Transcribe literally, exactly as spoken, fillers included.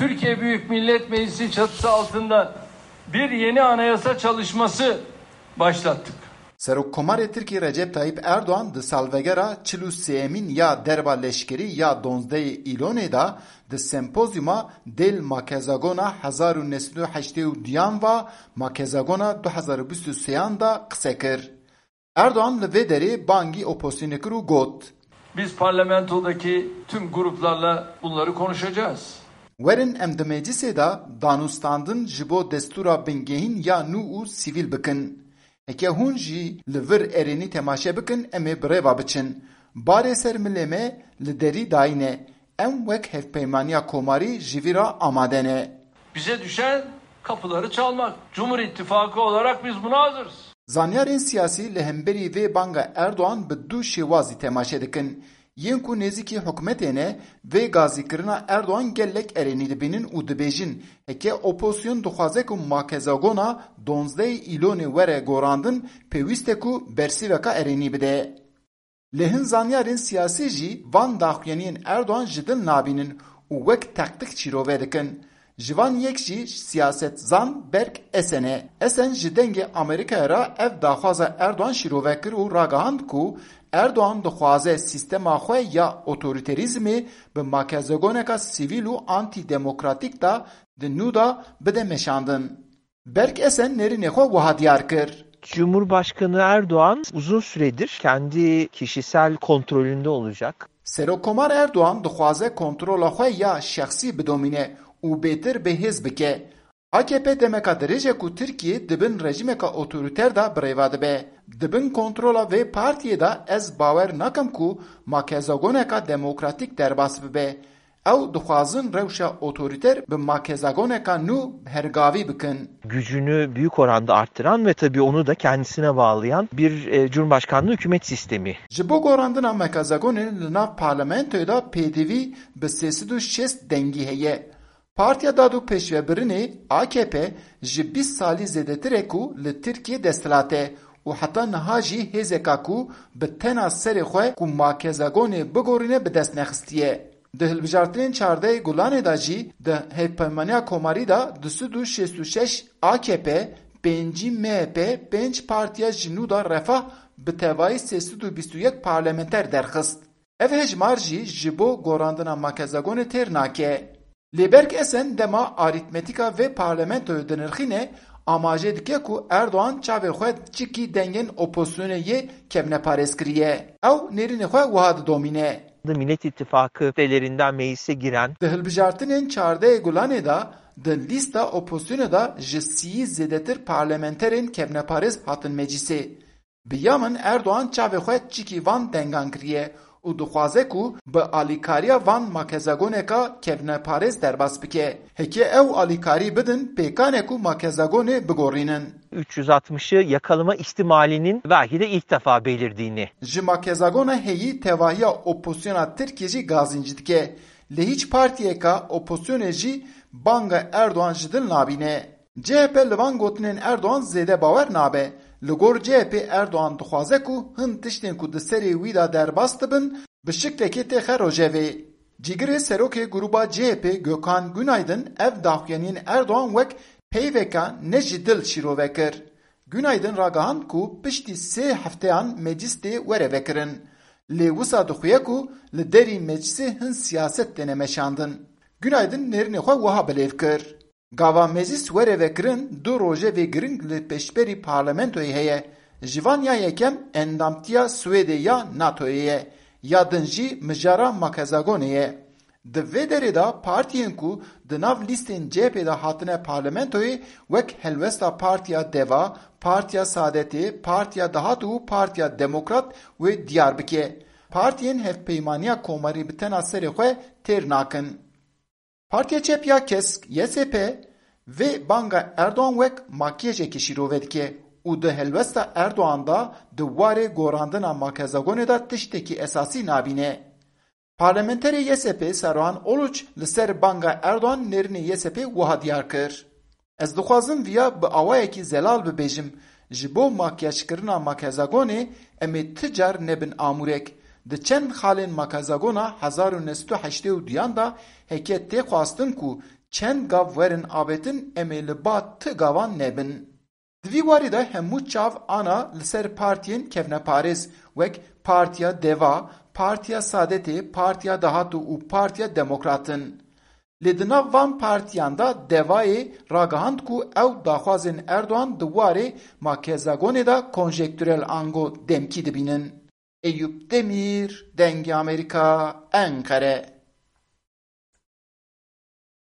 Türkiye Büyük Millet Meclisi çatısı altında bir yeni anayasa çalışması başlattık. Serokkomarê Tirkî Recep Tayyip Erdoğan di salvegera çil û sêyemîn ya derba leşkerî ya donzdehê Îlonê de di sempozyuma Dêl Makezagona hezar û neh sed û heştê û duyan va Makezagona du hezar û bîst û sêyan de qise kir. Erdoğan li vê derê bangî opozisyonê kir û got, Biz parlamentodaki tüm gruplarla bunları konuşacağız. Werin em di meclisê de danûstandin ji bo destûra bingehîn ya nû û sivîl bikin. Heke hûn jî li vir erênî temaşe bikin, em ê bi rê ve biçin. Barê ser milê me li derî dayîne. Em wek Hevpeymaniya Komarî ji vî re amade ne. Bize düşen kapıları çalmak. Cumhur İttifakı olarak biz buna hazırız. Zanyarên siyasî li hemberî vê banga Erdoğan bi du şêwazî temaşe dikin. Yên ku nêzîkî hikûmetê ne, vê gazîkirina Erdoğan gelek erênî dibînin û dibêjin, heke opozîsyon dixwaze ku makezagona donzdehê Îlonê were gorandin, pêwîst e ku bersîveka erênî bide. Lê hin zanyarên siyasî jî van daxuyaniyên Erdoğan ji dil nabînin û wek tektîk şîrove dikin. Ji van yek jî siyasetstzan Berk Esen e. Esen ji Dengê Amerîkayê re ev daxwaza Erdoğan şîrove kir û ragihand ku Erdoğan dixwaze sîstema xwe ya otorîterîzmê bi makezagoneka sivîl û antîdemokratîk de di nû de bide meşandin. Berk Esen nêrînê xwe wiha diyar kir. Cumhurbaşkanı Erdoğan uzun süredir kendi kişisel kontrolünde olacak. Serokkomar Erdoğan dixwaze kontrola xwe ya şexsî bidomîne û bêtir bi hêz bike. A K P demeka dirêj e ku Tirkiye di bin rejîmeka otorîter de bi rê ve dibe. Di bin kontrola vê partiyê de ez bawer nakim ku makezagoneka demokratîk derbas bibe. Ew dixwazin rewşa otorîter bi makezagoneka nû hergavî bikin. Gücünü büyük oranda arttıran ve tabii onu da kendisine bağlayan bir e, cumhurbaşkanlığı hükümet sistemi. Ji bo gorandina makezagonê li nav parlamentoyê de pêdivî bi sê sed û şêst dengî heye. Partiya Dad û Pêşvebirinê, A K P, ji bîst salî zêdetir e ku li Tirkiyê desthilat e û heta niha jî hêzeka ku bi tena serê xwe ku makezagonê bigorîne bi dest nexistiye. Di hilbijartinên çardehê Gulanê de jî di Hevpeymaniya Komarî de du sed û şêst û şeş A K P, pêncî M H P, pênc partiya ji nû de Refah bi tevayî sê sed û bîst û yek parlamenter derxist. Ev hejmar jî ji bo gorandina makezagonê têr nake. Lê Berk Esen dema arîtmetîka vê parlamentoyê dinirxîne, amaje dike ku Erdoğan çavê xwe çikî dengên opozisyonê yê kevneparêz kiriye. Ew nêrînê xwe wiha didomîne. Millet İttifakı üyelerinden meclise giren. Di hilbijartinên çardehê Gulanê de di lîsta opozisyonê de ji sîyî zêdetir parlamenterên kevneparêz hatin meclisê. Bi ya min Erdoğan çavê xwe çikî van dengan kiriye û dixwaze ku bi alîkariya van makezagoneka kevneparêz derbas bike. Heke ew alîkarî bidin, pêkan e ku makezagonê bigorînin. üç yüz altmışı yakalama ihtimalinin belki de ilk defa belirdiğini. Ji makezagona heyî tevahiya opozisyona Tirkiyê jî gazînc dike. Lê hîç partiyeka opozisyonê jî banga Erdoğan ji dil nabîne. C H P li van gotinên Erdoğan zêde bawer nabe. Li gor C H P Erdoğan dixwaze ku hin tiştên ku di serê wî de derbas dibin, bi şiklekê têxe rojevê. Cîgirê serokê grûba C H P Gökhan Günaydın ev daxuyaniyên Erdoğan wek peyveka ne ji dil şîrove kir. Günaydın ragihand ku piştî sê hefteyan meclis tê were vekirin. Lê wisa dixuye ku li derî meclisê hin siyaset têne meşandin. Günaydın nêrînê xwe wiha bilêv kir. Gava meclis were vekirin du rojevê giring li pêşberî parlamentoyê heye. Ji van ya yekem endamtiya Swêdê ya NATOyê ye, ya din jî mijara makezagonê ye. Di vê derê de partiyên ku di nav lîstên C H P de hatine parlamentoyê wek helwesta Partiya Deva, Partiya Saadetê, Partiya Dahat û Partiya Demokrat wê diyar bike. Partiyên Hevpeymaniya Komarî bi tena serê xwe têr nakin. Partiya Çep ya Kesk, Y S P, vê banga Erdoğan wek makyajekê şîrove dike û di helwesta Erdoğan de di warê gorandina makezagonê de tiştekî esasî nabîne. Parlamenterê Y S P Saruhan Uluç li ser banga Erdoğan nêrînê Y S P wiha diyar kir. Ez dixwazim viya bi awayekî zelal bibêjim, ji bo makyajkirina makezagonê em ê ti car nebin amûrek. Di çend xalên makezagona hezar û neh sed û heştê û duyan de heke tê xwestin ku Çend gav werin avêtin, em ê li ba ti gavan nebin. Di vî warî de hemû çav ana li ser partiyên kevneparêz, wek Partiya Deva, Partiya Saadetê, Partiya Dahatû û Partiya Demokrat in. Lê di nav van partiyan de Devayê ragihand ku ew daxwazên Erdogan di warê makezagonê de konjektûrel ango demkî dibînin. Eyûp Demîr, Dengê Amerîka, Enqere.